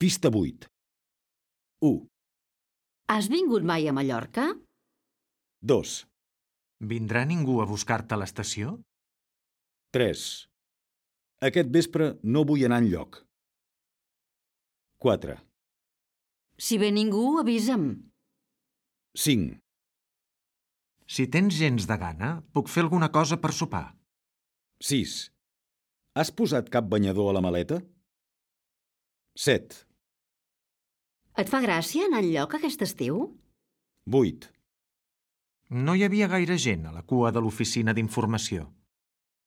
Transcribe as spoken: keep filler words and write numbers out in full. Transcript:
Pista vuit. u. Has vingut mai a Mallorca? dos. Vindrà ningú a buscar-te a l'estació? tres. Aquest vespre no vull anar enlloc. quatre. Si ve ningú, avisa'm. cinc. Si tens gens de gana, puc fer alguna cosa per sopar. sis. Has posat cap banyador a la maleta? set. Et fa gràcia anar enlloc aquest estiu? vuit. No hi havia gaire gent a la cua de l'oficina d'informació.